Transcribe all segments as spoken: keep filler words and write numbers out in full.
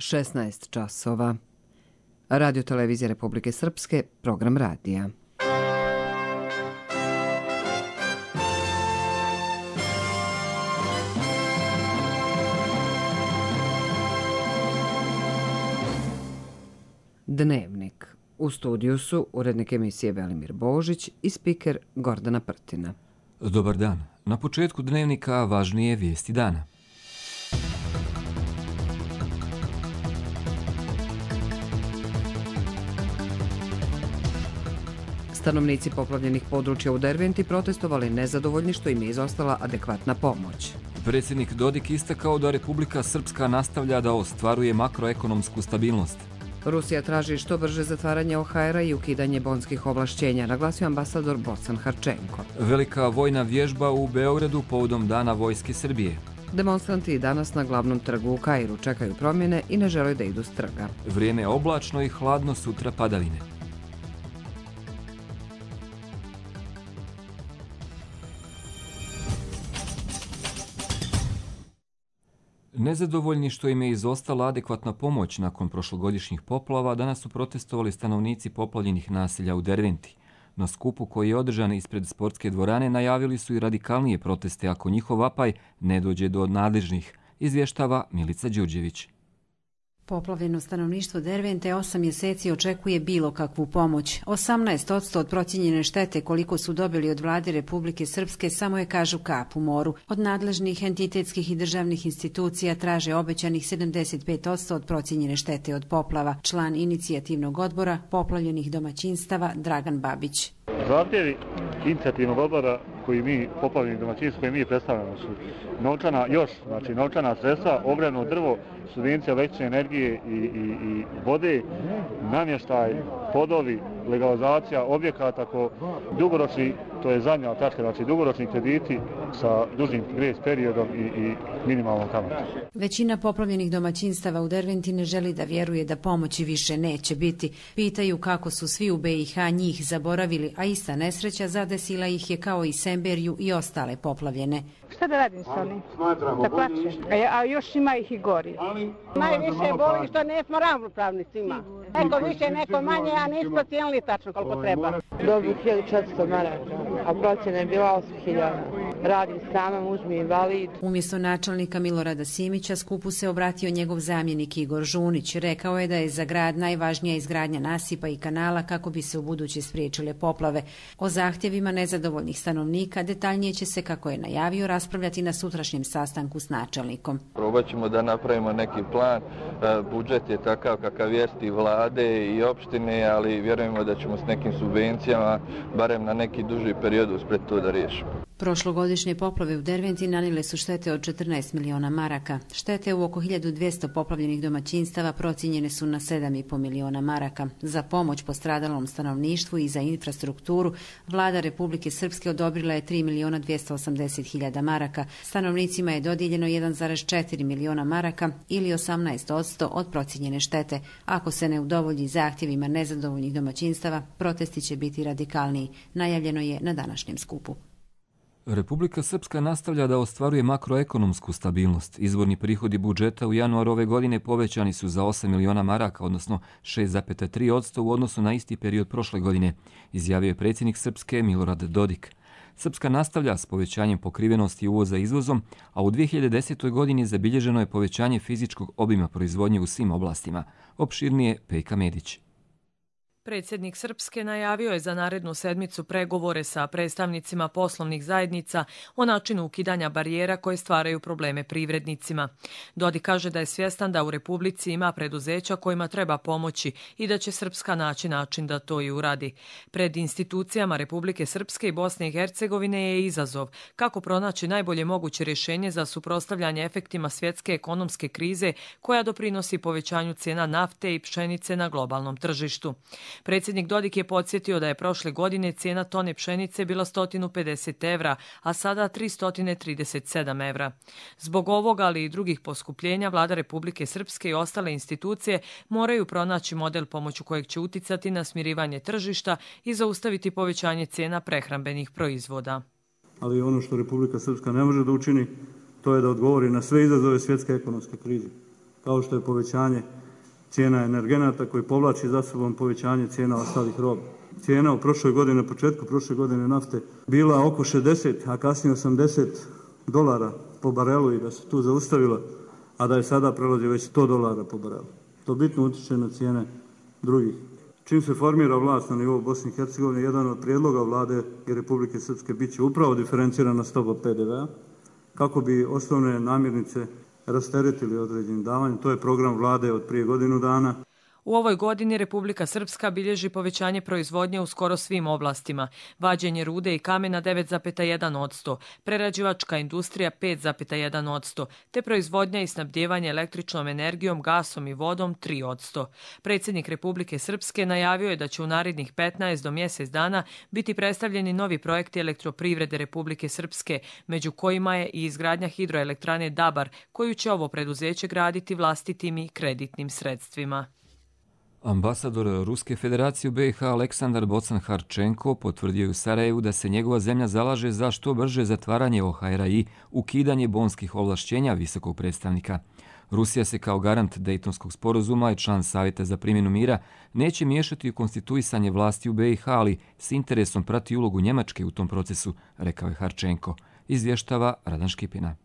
šesnaest časova. Radio Televizija Republike Srpske, program radija. Dnevnik. U studiju su urednik emisije Velimir Božić i spiker Gordana Prtina. Dobar dan. Na početku dnevnika važnije vijesti dana. Stanovnici poplavljenih područja u Derventi protestovali nezadovoljni što im je izostala adekvatna pomoć. Predsjednik Dodik istakao da Republika Srpska nastavlja da ostvaruje makroekonomsku stabilnost. Rusija traži što brže zatvaranje O H R-a i ukidanje bonskih ovlašćenja, naglasio ambasador Bocan Harčenko. Velika vojna vježba u Beogradu povodom Dana Vojske Srbije. Demonstranti danas na glavnom trgu u Kairu čekaju promjene i ne žele da idu s trga. Vrijeme je oblačno i hladno, sutra padavine. Nezadovoljni što im je izostala adekvatna pomoć nakon prošlogodišnjih poplava, danas su protestovali stanovnici poplavljenih naselja u Derventi. Na skupu koji je održan ispred sportske dvorane najavili su i radikalnije proteste ako njihov vapaj ne dođe do nadležnih, izvještava Milica Đurđević. Poplavljeno stanovništvo Dervente osam mjeseci očekuje bilo kakvu pomoć. osamnaest posto od procijenjene štete koliko su dobili od vlade Republike Srpske samo je, kažu, kap u moru. Od nadležnih entitetskih i državnih institucija traže obećanih sedamdeset pet posto od procijenjene štete od poplava. Član inicijativnog odbora poplavljenih domaćinstava Dragan Babić. Zahtjevi inicijativnog odbora koji mi, poplavljeni domaćinstvo koji mi predstavljamo, su novčana, još, znači novčana sredstva, ogrjevno drvo, subvencija električne energije i, i, i vode, namještaj, podovi, legalizacija objekata, ko dugoročni, to je zadnja tačka, znači dugoročni krediti sa dužnim grejs periodom i, i minimalnom kamatom. Većina poplavljenih domaćinstava u Derventi ne želi da vjeruje da pomoći više neće biti. Pitaju kako su svi u B i H njih zaboravili, a ista nesreća zadesila ih je kao i Semberiju i ostale poplavljene. Šta da radim s onim? Da plačem. A, a još ima ih i gori. Najviše boli što nismo ravnopravni s njima. Neko više, neko manje, a nismo cijenili tačno koliko treba. Dobiju hiljadu četiristo maraka, a procjena je bila osam hiljada. Radim sama, muž mi je invalid. Umjesto načelnika Milorada Simića skupu se obratio njegov zamjenik Igor Žunić. Rekao je da je za grad najvažnija izgradnja nasipa i kanala kako bi se u buduće spriječile poplave. O zahtjevima nezadovoljnih stanovnika detaljnije će se, kako je najavio, raspravljati na sutrašnjem sastanku s načelnikom. Probat ćemo da napravimo neki plan. Budžet je takav kakav jest i vlade i opštine, ali vjerujemo da ćemo s nekim subvencijama, barem na neki duži period, uspjeti to da riješimo. Prošlogodišnje poplave u Derventi nanijele su štete od četrnaest miliona maraka. Štete u oko hiljadu dvjesto poplavljenih domaćinstava procijenjene su na sedam i po miliona maraka. Za pomoć postradalom stanovništvu i za infrastrukturu vlada Republike Srpske odobrila je tri miliona dvjesto osamdeset hiljada maraka. Stanovnicima je dodijeljeno jedan zarez četiri miliona maraka ili osamnaest posto od procijenjene štete. Ako se ne udovolji zahtjevima nezadovoljnih domaćinstava, protesti će biti radikalniji. Najavljeno je na današnjem skupu. Republika Srpska nastavlja da ostvaruje makroekonomsku stabilnost. Izvorni prihodi budžeta u januaru ove godine povećani su za osam miliona maraka, odnosno šest zarez tri posto u odnosu na isti period prošle godine, izjavio je predsjednik Srpske Milorad Dodik. Srpska nastavlja s povećanjem pokrivenosti uvoza izvozom, a u dvije hiljade desetoj. godini zabilježeno je povećanje fizičkog obima proizvodnje u svim oblastima. Opširnije Pejka Medić. Predsjednik Srpske najavio je za narednu sedmicu pregovore sa predstavnicima poslovnih zajednica o načinu ukidanja barijera koje stvaraju probleme privrednicima. Dodik kaže da je svjestan da u Republici ima preduzeća kojima treba pomoći i da će Srpska naći način da to i uradi. Pred institucijama Republike Srpske i Bosne i Hercegovine je izazov kako pronaći najbolje moguće rješenje za suprotstavljanje efektima svjetske ekonomske krize koja doprinosi povećanju cijena nafte i pšenice na globalnom tržištu. Predsjednik Dodik je podsjetio da je prošle godine cijena tone pšenice bila sto pedeset evra, a sada tristo trideset sedam evra. Zbog ovoga, ali i drugih poskupljenja, vlada Republike Srpske i ostale institucije moraju pronaći model pomoću kojeg će uticati na smirivanje tržišta i zaustaviti povećanje cijena prehrambenih proizvoda. Ali ono što Republika Srpska ne može da učini, to je da odgovori na sve izazove svjetske ekonomske krize. kao što je povećanje cijena energenata koji povlači za sobom povećanje cijena ostalih roba. Cijena u prošloj godini, na početku prošle godine nafte bila oko šezdeset, a kasnije osamdeset dolara po barelu i da se tu zaustavila, a da je sada prelazi već sto dolara po barelu. To bitno utječe na cijene drugih. Čim se formira vlast na nivou Bosne i Hercegovine, jedan od prijedloga vlade i Republike Srpske bit će upravo diferencirana stopa P D V-a kako bi osnovne namirnice rasteretili određenim davanjem. To je program vlade od prije godinu dana. U ovoj godini Republika Srpska bilježi povećanje proizvodnje u skoro svim oblastima. Vađenje rude i kamena devet zarez jedan posto, prerađivačka industrija pet zarez jedan posto, te proizvodnja i snabdijevanje električnom energijom, gasom i vodom tri posto. Predsjednik Republike Srpske najavio je da će u narednih petnaest do mjesec dana biti predstavljeni novi projekti elektroprivrede Republike Srpske, među kojima je i izgradnja hidroelektrane Dabar, koju će ovo preduzeće graditi vlastitim i kreditnim sredstvima. Ambasador Ruske federacije u B i H Aleksandar Bocan-Harčenko potvrdio u Sarajevu da se njegova zemlja zalaže za što brže zatvaranje O H R-a i ukidanje bonskih ovlašćenja visokog predstavnika. Rusija se kao garant Dejtonskog sporazuma i član Savjeta za primjenu mira neće miješati u konstituisanje vlasti u B i H, ali s interesom prati ulogu Njemačke u tom procesu, rekao je Harčenko. Izvještava Radan Škipina.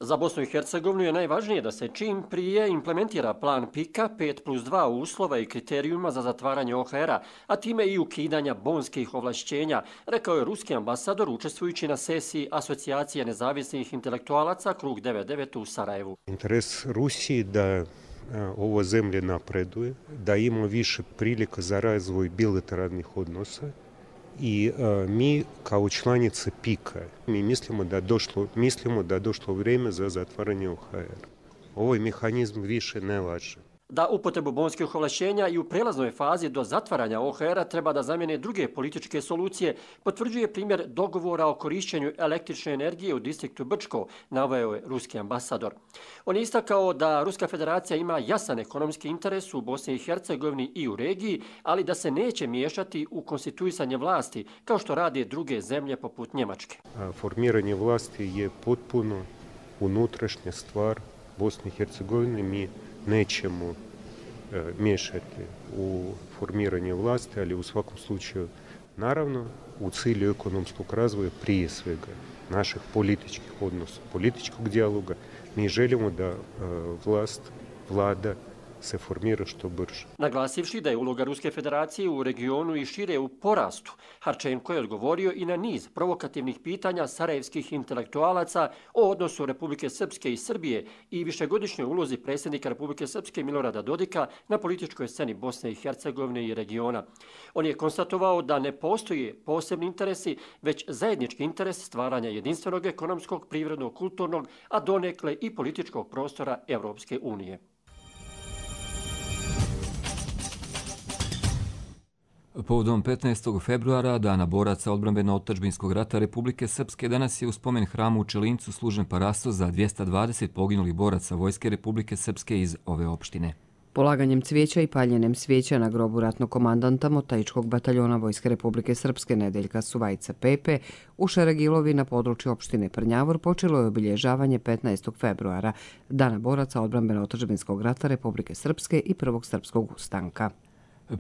Za Bosnu i Hercegovinu je najvažnije da se čim prije implementira plan PIK-a pet plus dva uslova i kriterijuma za zatvaranje O H R-a, a time i ukidanja bonskih ovlašćenja, rekao je ruski ambasador učestvujući na sesiji Asocijacije nezavisnih intelektualaca Krug devedeset devet u Sarajevu. Interes Rusiji da ova zemlja napreduje, da ima više prilika za razvoj bilateralnih odnosa. I a, mi kao članice PIK-a mi mislimo da došlo, mislimo da došlo vrijeme za zatvaranje O H R. Ovaj mehanizam više ne važi. Da upotrebu bonskih ovlašćenja i u prelaznoj fazi do zatvaranja O H R-a treba da zamijene druge političke solucije, potvrđuje primjer dogovora o korišćenju električne energije u distriktu Brčko, naveo je ruski ambasador. On je istakao da Ruska federacija ima jasan ekonomski interes u Bosni i Hercegovini i u regiji, ali da se neće miješati u konstituisanje vlasti, kao što rade druge zemlje poput Njemačke. Formiranje vlasti je potpuno unutrašnja stvar Bosne i Hercegovine. Mi nećemo e, miješati u formiranje vlasti, ali u svakom slučaju, naravno, u cilju ekonomskog razvoja prije svega naših političkih odnosa, političkog dijaloga, mi želimo da e, vlast, vlada se formira što brže. Naglasivši da je uloga Ruske federacije u regionu i šire u porastu, Harčenko je odgovorio i na niz provokativnih pitanja sarajevskih intelektualaca o odnosu Republike Srpske i Srbije i višegodišnjoj ulozi predsjednika Republike Srpske Milorada Dodika na političkoj sceni Bosne i Hercegovine i regiona. On je konstatovao da ne postoje posebni interesi, već zajednički interes stvaranja jedinstvenog ekonomskog, privrednog, kulturnog, a donekle i političkog prostora Evropske unije. Povodom petnaestog februara, Dana boraca odbrambeno-otadžbinskog rata Republike Srpske, danas je u spomen hramu u Čelincu služen parasto za dvjesto dvadeset poginulih boraca Vojske Republike Srpske iz ove opštine. Polaganjem cvijeća i paljenjem svijeća na grobu ratnog komandanta Motajičkog bataljona Vojske Republike Srpske Nedeljka Suvajca Pepe u Šaragilovi na području opštine Prnjavor počelo je obilježavanje petnaestog februara, Dana boraca odbrambeno-otadžbinskog rata Republike Srpske i Prvog srpskog ustanka.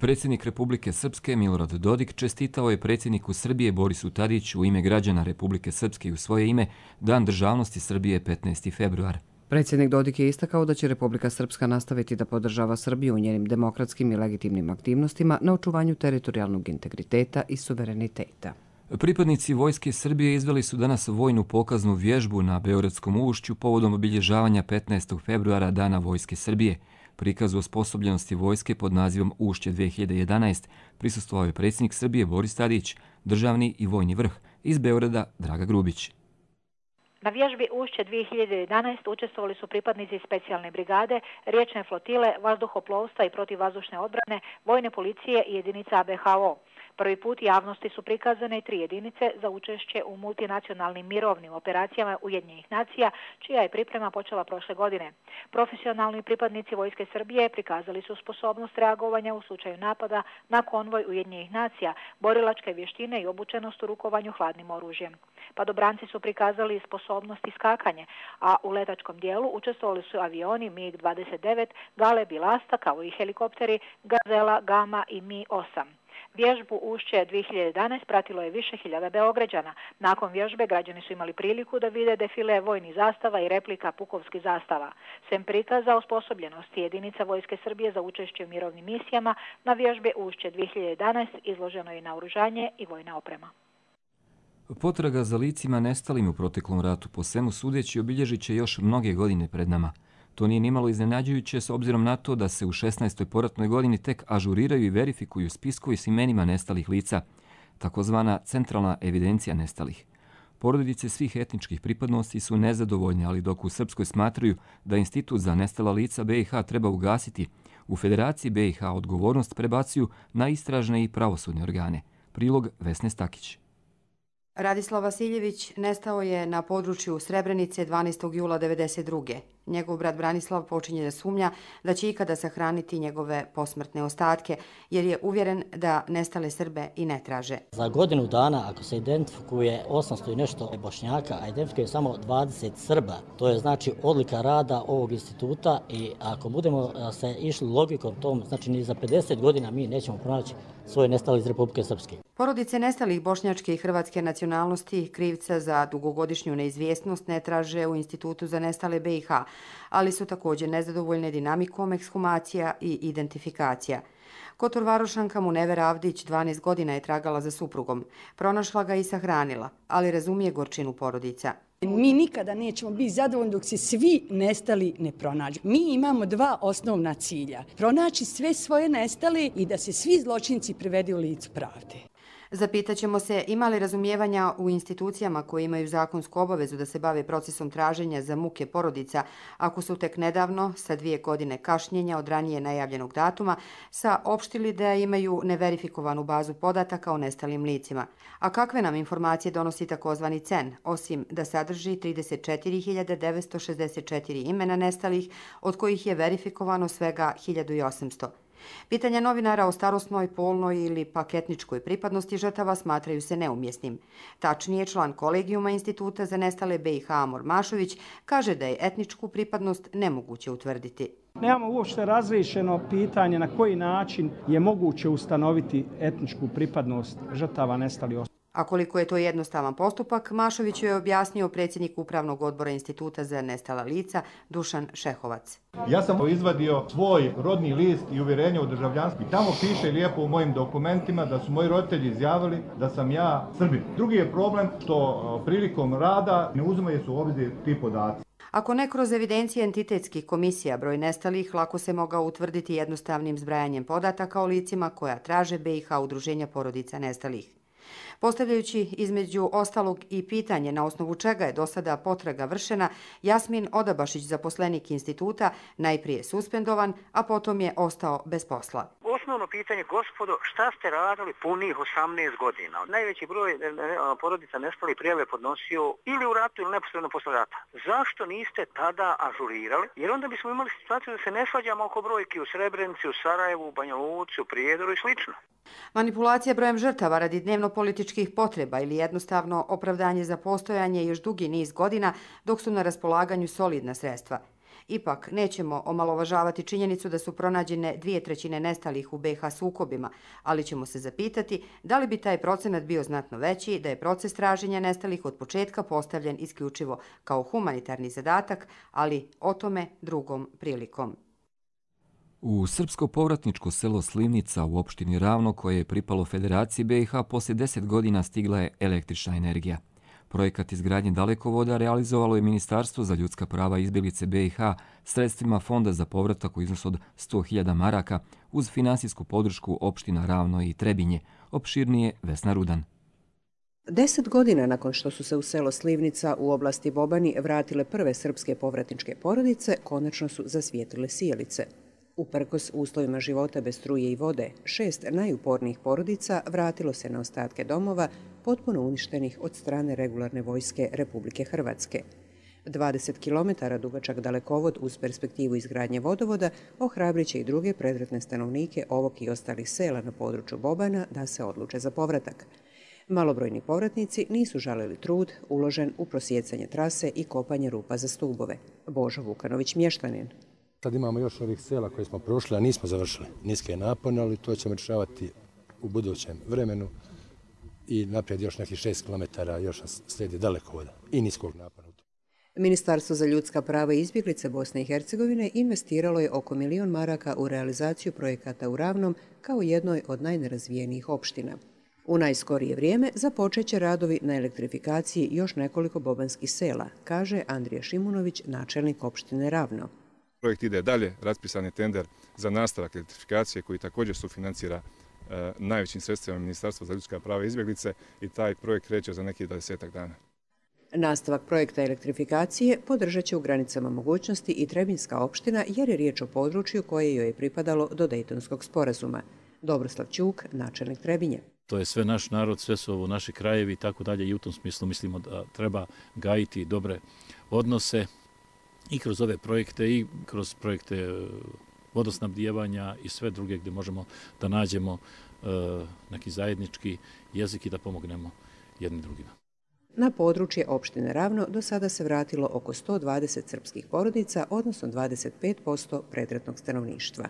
Predsjednik Republike Srpske Milorad Dodik čestitao je predsjedniku Srbije Borisu Tadiću u ime građana Republike Srpske i u svoje ime Dan državnosti Srbije petnaesti februar. Predsjednik Dodik je istakao da će Republika Srpska nastaviti da podržava Srbiju u njenim demokratskim i legitimnim aktivnostima na očuvanju teritorijalnog integriteta i suvereniteta. Pripadnici Vojske Srbije izveli su danas vojnu pokaznu vježbu na Beogradskom ušću povodom obilježavanja petnaestog februara Dana Vojske Srbije. Prikazu osposobljenosti vojske pod nazivom Ušće dvije hiljade jedanaest prisustvovao je predsjednik Srbije Boris Tadić, državni i vojni vrh iz Beograda Draga Grubić. Na vježbi Ušće dvije hiljade jedanaest učestvovali su pripadnici specijalne brigade, riječne flotile, vazduhoplovstva i protivvazdušne odbrane, vojne policije i jedinica A B H O. Prvi put javnosti su prikazane tri jedinice za učešće u multinacionalnim mirovnim operacijama Ujedinjenih nacija, čija je priprema počela prošle godine. Profesionalni pripadnici Vojske Srbije prikazali su sposobnost reagovanja u slučaju napada na konvoj Ujedinjenih nacija, borilačke vještine i obučenost u rukovanju hladnim oružjem. Padobranci su prikazali sposobnost iskakanje, a u letačkom dijelu učestvovali su avioni mig dvadeset devet, Galeb i Lasta, kao i helikopteri Gazela, Gama i Mi osam. Vježbu Ušće dvije hiljade jedanaest pratilo je više hiljada Beograđana. Nakon vježbe građani su imali priliku da vide defile vojnih zastava i replika pukovskih zastava. Sem prikaza osposobljenosti jedinica Vojske Srbije za učešće u mirovnim misijama, na vježbe Ušće dvije hiljade jedanaest izloženo je naoružanje i vojna oprema. Potraga za licima nestalim u proteklom ratu po svemu sudeći obilježit će još mnoge godine pred nama. To nije nimalo iznenađujuće s obzirom na to da se u šesnaestoj poratnoj godini tek ažuriraju i verifikuju spiskovi s imenima nestalih lica, takozvana centralna evidencija nestalih. Porodice svih etničkih pripadnosti su nezadovoljne, ali dok u Srpskoj smatraju da Institut za nestala lica B i H treba ugasiti, u Federaciji B i H odgovornost prebacuju na istražne i pravosudne organe. Prilog Vesne Stakić. Radislav Vasiljević nestao je na području Srebrenice dvanaestog jula devedeset druge. Njegov brat Branislav počinje da sumnja da će ikada sahraniti njegove posmrtne ostatke, jer je uvjeren da nestale Srbe i ne traže. Za godinu dana, ako se identifikuje osamsto i nešto Bošnjaka, a identifikuje samo dvadeset Srba, to je znači odlika rada ovog instituta i ako budemo se išli logikom tom, znači ni za pedeset godina mi nećemo pronaći svoje nestale iz Republike Srpske. Porodice nestalih bošnjačke i hrvatske nacionalnosti krivca za dugogodišnju neizvjesnost ne traže u Institutu za nestale B i H, ali su također nezadovoljne dinamikom ekshumacija i identifikacija. Kotor Varošanka Munevera Avdić dvanaest godina je tragala za suprugom. Pronašla ga i sahranila, ali razumije gorčinu porodica. Mi nikada nećemo biti zadovoljni dok se svi nestali ne pronađu. Mi imamo dva osnovna cilja. Pronaći sve svoje nestale i da se svi zločinci privedu u licu pravde. Zapitaćemo se ima li razumijevanja u institucijama koje imaju zakonsku obavezu da se bave procesom traženja za muke porodica, ako su tek nedavno, sa dvije godine kašnjenja od ranije najavljenog datuma, saopštili da imaju neverifikovanu bazu podataka o nestalim licima. A kakve nam informacije donosi takozvani C E N, osim da sadrži trideset četiri hiljade devetsto šezdeset četiri imena nestalih, od kojih je verifikovano svega hiljadu osamsto. Pitanja novinara o starosnoj, polnoj ili pak etničkoj pripadnosti žrtava smatraju se neumjesnim. Tačnije, član kolegijuma Instituta za nestale B i H Amor Mašović kaže da je etničku pripadnost nemoguće utvrditi. Nemamo uopšte razriješeno pitanje na koji način je moguće ustanoviti etničku pripadnost žrtava nestalih osoba. A koliko je to jednostavan postupak, Mašović je objasnio predsjednik Upravnog odbora Instituta za nestala lica Dušan Šehovac. Ja sam izvadio svoj rodni list i uvjerenje o državljanstvu. Tamo piše lijepo u mojim dokumentima da su moji roditelji izjavili da sam ja Srbin. Drugi je problem što prilikom rada ne uzimaju se u obzir ti podaci. Ako ne kroz evidencije entitetskih komisija, broj nestalih lako se mogao utvrditi jednostavnim zbrajanjem podataka o licima koja traže B i H udruženja porodica nestalih. Postavljajući između ostalog i pitanje na osnovu čega je do sada potraga vršena, Jasmin Odabašić, zaposlenik instituta, najprije suspendovan, a potom je ostao bez posla. Osnovno pitanje, gospodo, šta ste radili punih osamnaest godina? Najveći broj porodica nestalih prijave podnosio ili u ratu ili neposredno posle rata. Zašto niste tada ažurirali? Jer onda bismo imali situaciju da se ne svađamo oko brojki u Srebrenici, u Sarajevu, u Banja Luci, u Prijedoru i slično. Manipulacija brojem žrtava radi dnevno-političkih potreba ili jednostavno opravdanje za postojanje još dugi niz godina dok su na raspolaganju solidna sredstva. Ipak, nećemo omalovažavati činjenicu da su pronađene dvije trećine nestalih u B i H sukobima, ali ćemo se zapitati da li bi taj procenat bio znatno veći da je proces traženja nestalih od početka postavljen isključivo kao humanitarni zadatak, ali o tome drugom prilikom. U srpsko povratničko selo Slivnica u opštini Ravno, koje je pripalo Federaciji B i H, poslije deset godina stigla je električna energija. Projekat izgradnje dalekovoda realizovalo je Ministarstvo za ljudska prava i izbjeglice B i H sredstvima Fonda za povratak u iznosu od sto hiljada maraka uz finansijsku podršku opština Ravno i Trebinje. Opširnije Vesna Rudan. Deset godina nakon što su se u selo Slivnica u oblasti Bobani vratile prve srpske povratničke porodice, konačno su zasvijetlile sijalice. Uprkos uslovima života bez struje i vode, šest najupornijih porodica vratilo se na ostatke domova potpuno uništenih od strane regularne vojske Republike Hrvatske. dvadeset kilometara dugačak dalekovod uz perspektivu izgradnje vodovoda ohrabriće i druge predratne stanovnike ovog i ostalih sela na području Bobana da se odluče za povratak. Malobrojni povratnici nisu žalili trud uložen u prosjecanje trase i kopanje rupa za stubove. Božo Vukanović, mještanin. Sad imamo još ovih sela koje smo prošli, a nismo završili. Niske napone, ali to ćemo rješavati u budućem vremenu i naprijed još nekih šest kilometara još nas slijedi dalekovoda i niskog napona. Ministarstvo za ljudska prava i izbjeglice Bosne i Hercegovine investiralo je oko milion maraka u realizaciju projekata u Ravnom kao jednoj od najnerazvijenijih opština. U najskorije vrijeme započet će radovi na elektrifikaciji još nekoliko bobanskih sela, kaže Andrija Šimunović, načelnik opštine Ravno. Projekt ide dalje, raspisan je tender za nastavak elektrifikacije koji također sufinancira e, najvećim sredstvima Ministarstva za ljudska prava i izbjeglice i taj projekt kreće za nekih dvadesetak dana. Nastavak projekta elektrifikacije podržat će u granicama mogućnosti i Trebinjska opština jer je riječ o području koje joj je pripadalo do Dejtonskog sporazuma. Dobroslav Ćuk, načelnik Trebinje. To je sve naš narod, sve su ovo naši krajevi i tako dalje i u tom smislu mislimo da treba gajiti dobre odnose i kroz ove projekte i kroz projekte vodosnabdijevanja i sve druge gdje možemo da nađemo uh, neki zajednički jezik i da pomognemo jedni drugima. Na područje opštine Ravno do sada se vratilo oko sto dvadeset srpskih porodica, odnosno dvadeset pet posto predratnog stanovništva.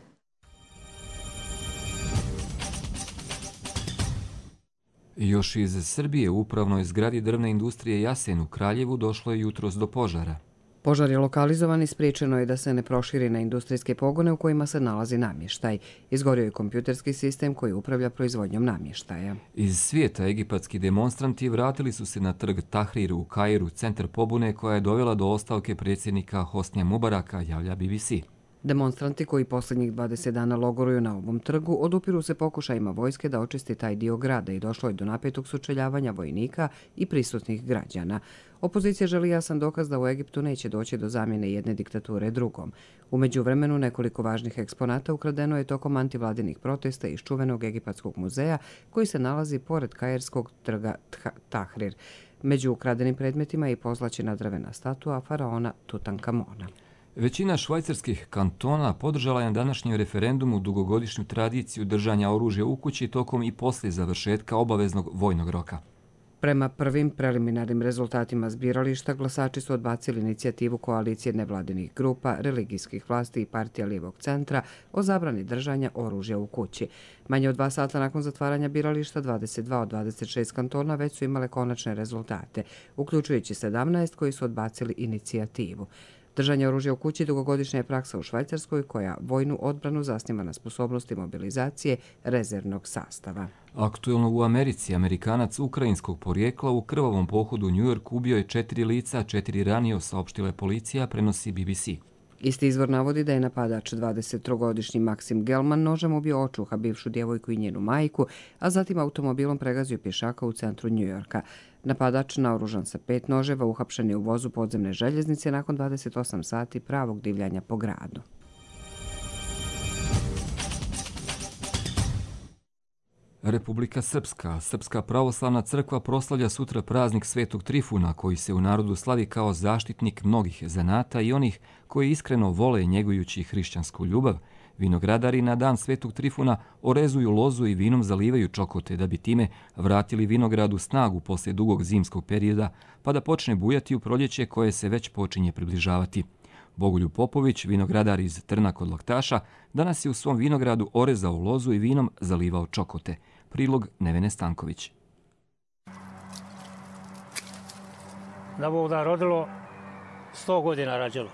Još iz Srbije u upravnoj zgradi drvne industrije Jasen u Kraljevu došlo je jutros do požara. Požar je lokalizovan i spriječeno je da se ne proširi na industrijske pogone u kojima se nalazi namještaj. Izgorio je kompjuterski sistem koji upravlja proizvodnjom namještaja. Iz svijeta egipatski demonstranti vratili su se na trg Tahrir u Kairu, centar pobune koja je dovela do ostavke predsjednika Hosnija Mubaraka, javlja B B C. Demonstranti koji posljednjih dvadeset dana logoruju na ovom trgu odupiru se pokušajima vojske da očisti taj dio grada i došlo je do napetog sučeljavanja vojnika i prisutnih građana. Opozicija želi jasan dokaz da u Egiptu neće doći do zamjene jedne diktature drugom. U međuvremenu nekoliko važnih eksponata ukradeno je tokom antivladinih protesta iz čuvenog egipatskog muzeja koji se nalazi pored kairskog trga Tahrir. Među ukradenim predmetima je i pozlaćena drvena statua faraona Tutankamona. Većina švajcarskih kantona podržala je na današnjem referendumu dugogodišnju tradiciju držanja oružja u kući tokom i poslije završetka obaveznog vojnog roka. Prema prvim preliminarnim rezultatima zbirališta, glasači su odbacili inicijativu koalicije nevladinih grupa, religijskih vlasti i partija lijevog centra o zabrani držanja oružja u kući. Manje od dva sata nakon zatvaranja birališta, dvadeset dva od dvadeset šest kantona već su imale konačne rezultate, uključujući sedamnaest koji su odbacili inicijativu. Držanje oružja u kući dugogodišnja je praksa u Švajcarskoj koja vojnu odbranu zasniva na sposobnosti mobilizacije rezervnog sastava. Aktuelno u Americi, Amerikanac ukrajinskog porijekla u krvavom pohodu u New York ubio je četiri lica, četiri ranio, saopštila je policija, prenosi B B C. Isti izvor navodi da je napadač dvadesettrogodišnji Maksim Gelman nožem ubio očuha bivšu djevojku i njenu majku, a zatim automobilom pregazio pješaka u centru New Yorka. Napadač, naoružan sa pet noževa, uhapšen je u vozu podzemne željeznice nakon dvadeset osam sati pravog divljanja po gradu. Republika Srpska. Srpska pravoslavna crkva proslavlja sutra praznik Svetog Trifuna, koji se u narodu slavi kao zaštitnik mnogih zanata i onih koji iskreno vole njegujući hrišćansku ljubav. Vinogradari na dan Svetog Trifuna orezuju lozu i vinom zalivaju čokote da bi time vratili vinogradu snagu poslije dugog zimskog perioda, pa da počne bujati u proljeće koje se već počinje približavati. Bogoljub Popović, vinogradar iz Trna kod Laktaša, danas je u svom vinogradu orezao lozu i vinom zalivao čokote. Prilog Nevene Stanković. Da Bog da rodilo, sto godina rađalo.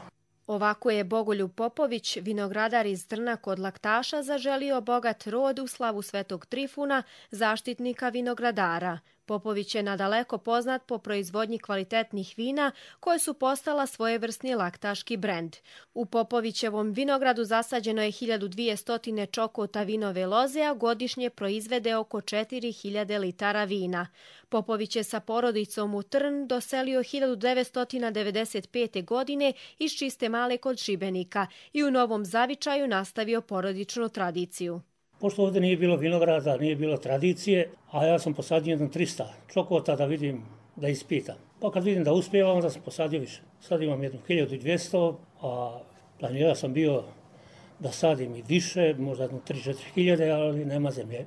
Ovako je Bogoljub Popović, vinogradar iz Trna kod Laktaša, zaželio bogat rod u slavu Svetog Trifuna, zaštitnika vinogradara. Popović je nadaleko poznat po proizvodnji kvalitetnih vina koje su postala svojevrsni laktaški brend. U Popovićevom vinogradu zasađeno je hiljadu dvjesto čokota vinove loze, a godišnje proizvede oko četiri hiljade litara vina. Popović je sa porodicom u Trn doselio hiljadu devetsto devedeset pete. godine iz Čiste Male kod Šibenika i u Novom Zavičaju nastavio porodičnu tradiciju. Pošto ovdje nije bilo vinograda, nije bilo tradicije, a ja sam posadio jedno trista čokota da vidim, da ispitam. Pa kad vidim da uspijevam, onda sam posadio više. Sad imam jednu hiljadu dvjesto, a planirao sam bio da sadim i više, možda jednu tri do četiri hiljade, ali nema zemlje.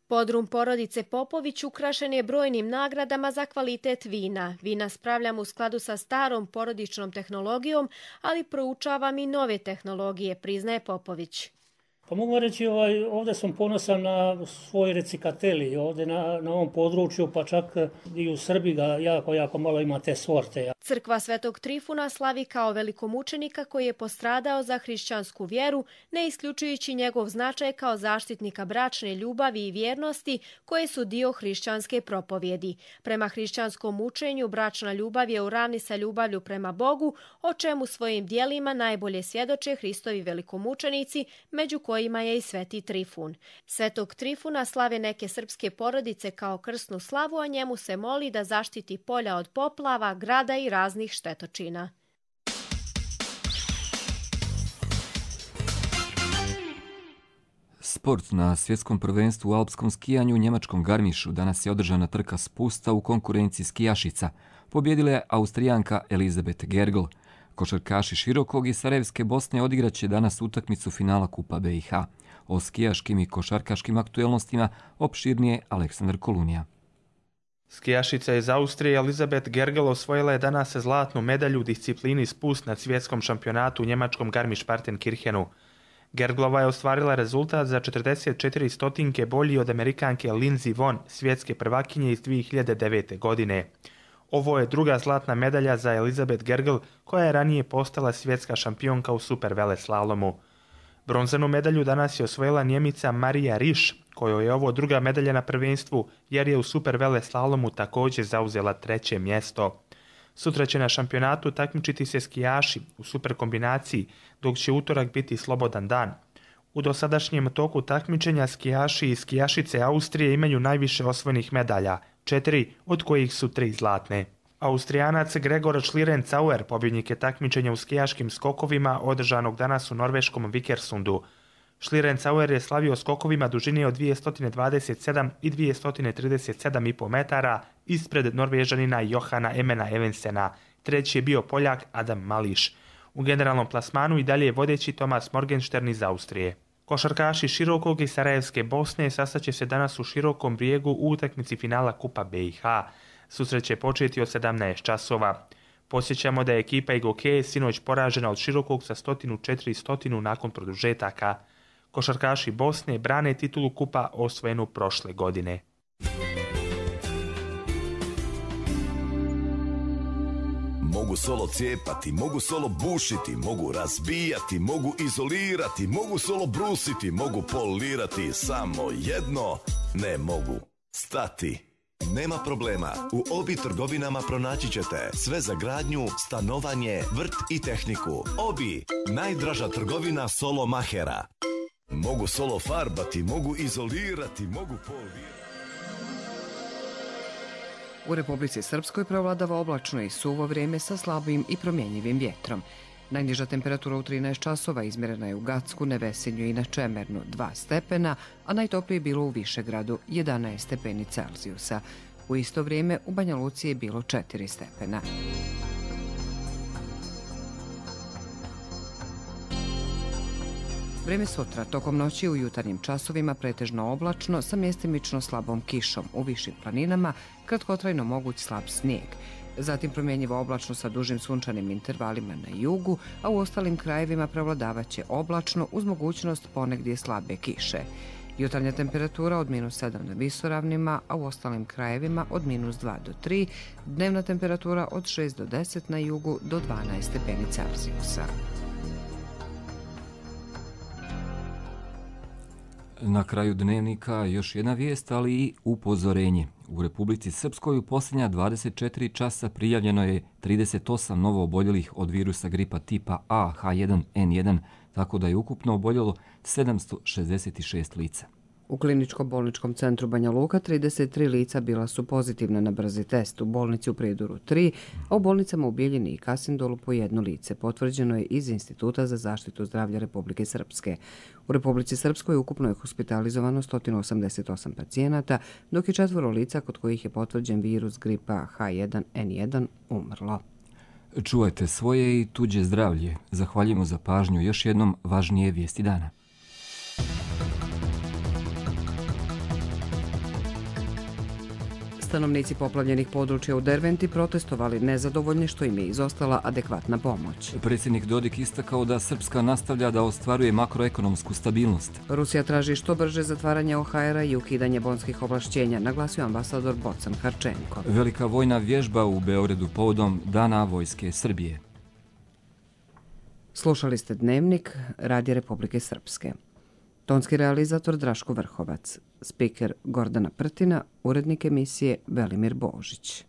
Podrum porodice Popović ukrašen je brojnim nagradama za kvalitet vina. Vina spravljam u skladu sa starom porodičnom tehnologijom, ali proučavam i nove tehnologije, priznaje Popović. Pa mogu reći, ovaj, ovdje sam ponosan na svoj recikateli, ovdje na, na ovom području, pa čak i u Srbiji ga jako, jako malo ima te sorte. Crkva Svetog Trifuna slavi kao velikomučenika koji je postradao za hrišćansku vjeru, ne isključujući njegov značaj kao zaštitnika bračne ljubavi i vjernosti koje su dio hrišćanske propovjedi. Prema hrišćanskom učenju bračna ljubav je u ravni sa ljubavlju prema Bogu, o čemu svojim dijelima najbolje svjedoče Hristovi velikomučenici, među kojima je i Sveti Trifun. Svetog Trifuna slave neke srpske porodice kao krsnu slavu, a njemu se moli da zaštiti polja od poplava, grada i raznih štetočina. Sport. Na svjetskom prvenstvu u alpskom skijanju u njemačkom Garmišu danas je održana trka spusta u konkurenciji skijašica. Pobjedila je Austrijanka Elizabeth Gergl. Košarkaši Širokog i Sarajevske Bosne odigraće danas utakmicu finala Kupa B i H. O skijaškim i košarkaškim aktuelnostima opširnije Aleksandar Kolunija. Skijašica iz Austrije Elizabeth Gergl osvojila je danas zlatnu medalju u disciplini spust na svjetskom šampionatu u njemačkom Garmisch-Partenkirchenu. Gerglova je ostvarila rezultat za četrdeset četiri stotinke bolji od Amerikanke Lindsey Vonn, svjetske prvakinje iz dvije hiljade devete. godine. Ovo je druga zlatna medalja za Elizabeth Gergl, koja je ranije postala svjetska šampionka u superveleslalomu. Bronzanu medalju danas je osvojila Njemica Marija Riš, kojoj je ovo druga medalja na prvenstvu, jer je u superveleslalomu također zauzela treće mjesto. Sutra će na šampionatu takmičiti se skijaši u superkombinaciji, dok će utorak biti slobodan dan. U dosadašnjem toku takmičenja skijaši i skijašice Austrije imaju najviše osvojenih medalja, četiri od kojih su tri zlatne. Austrijanac Gregor Schlierencauer pobjednik je takmičenja u skijaškim skokovima održanog danas u norveškom Vikersundu. Schlierencauer je slavio skokovima dužine od dvjesto dvadeset sedam i dvjesto trideset sedam i pol metara ispred Norvežanina Johana Emena Evensena. Treći je bio Poljak Adam Mališ. U generalnom plasmanu i dalje je vodeći Thomas Morgenstern iz Austrije. Košarkaši Širokog i Sarajevske Bosne sastaće se danas u Širokom Brijegu u utakmici finala Kupa B i H. Susret će početi od sedamnaest časova. Posjećamo da je ekipa Igoke sinoć poražena od Širokog sa sto četiri nakon produžetaka. Košarkaši Bosne brane titulu Kupa osvojenu prošle godine. Mogu solo cijepati, mogu solo bušiti, mogu razbijati, mogu izolirati, mogu solo brusiti, mogu polirati, samo jedno ne mogu stati. Nema problema, u Obi trgovinama pronaći ćete sve za gradnju, stanovanje, vrt i tehniku. Obi, najdraža trgovina solo mahera. Mogu solo farbati, mogu izolirati, mogu polirati. U Republici Srpskoj prevladava oblačno i suvo vrijeme sa slabim i promjenjivim vjetrom. Najniža temperatura u trinaest časova izmjerena je u Gacku, Nevesinju i na Čemernu dva stepena, a najtoplije je bilo u Višegradu jedanaest stepeni Celzijusa. U isto vrijeme u Banja Luci je bilo četiri stepena. Vrijeme sutra, tokom noći u jutarnjim časovima pretežno oblačno sa mjestimično slabom kišom, u višim planinama kratkotrajno moguć slab snijeg. Zatim promjenjivo oblačno sa dužim sunčanim intervalima na jugu, a u ostalim krajevima prevladavaće oblačno uz mogućnost ponegdje slabe kiše. Jutarnja temperatura od minus sedam na visoravnima, a u ostalim krajevima od minus dva do tri, dnevna temperatura od šest do deset na jugu do dvanaest stepeni Celzijusa. Na kraju dnevnika još jedna vijest, ali i upozorenje. U Republici Srpskoj u posljednja dvadeset četiri časa prijavljeno je trideset osam novo oboljelih od virusa gripa tipa A H jedan N jedan, tako da je ukupno oboljelo sedamsto šezdeset šest lica. U kliničko-bolničkom centru Banja Luka trideset tri lica bila su pozitivna na brzi test, u bolnici u Prijedoru tri, a u bolnicama u Bijeljini i Kasindolu po jedno lice. Potvrđeno je iz Instituta za zaštitu zdravlja Republike Srpske. U Republici Srpskoj ukupno je hospitalizovano sto osamdeset osam pacijenata, dok je četvoro lica kod kojih je potvrđen virus gripa H jedan N jedan umrlo. Čuvajte svoje i tuđe zdravlje. Zahvaljujemo za pažnju. Još jednom važnije vijesti dana. Stanovnici poplavljenih područja u Derventi protestovali nezadovoljni što im je izostala adekvatna pomoć. Predsjednik Dodik istakao da Srpska nastavlja da ostvaruje makroekonomsku stabilnost. Rusija traži što brže zatvaranje O H R-a i ukidanje bonskih ovlašćenja, naglasio ambasador Bocan Harčenko. Velika vojna vježba u Beogradu povodom Dana vojske Srbije. Slušali ste Dnevnik Radija Republike Srpske. Tonski realizator Draško Vrhovac, spiker Gordana Prtina, urednik emisije Velimir Božić.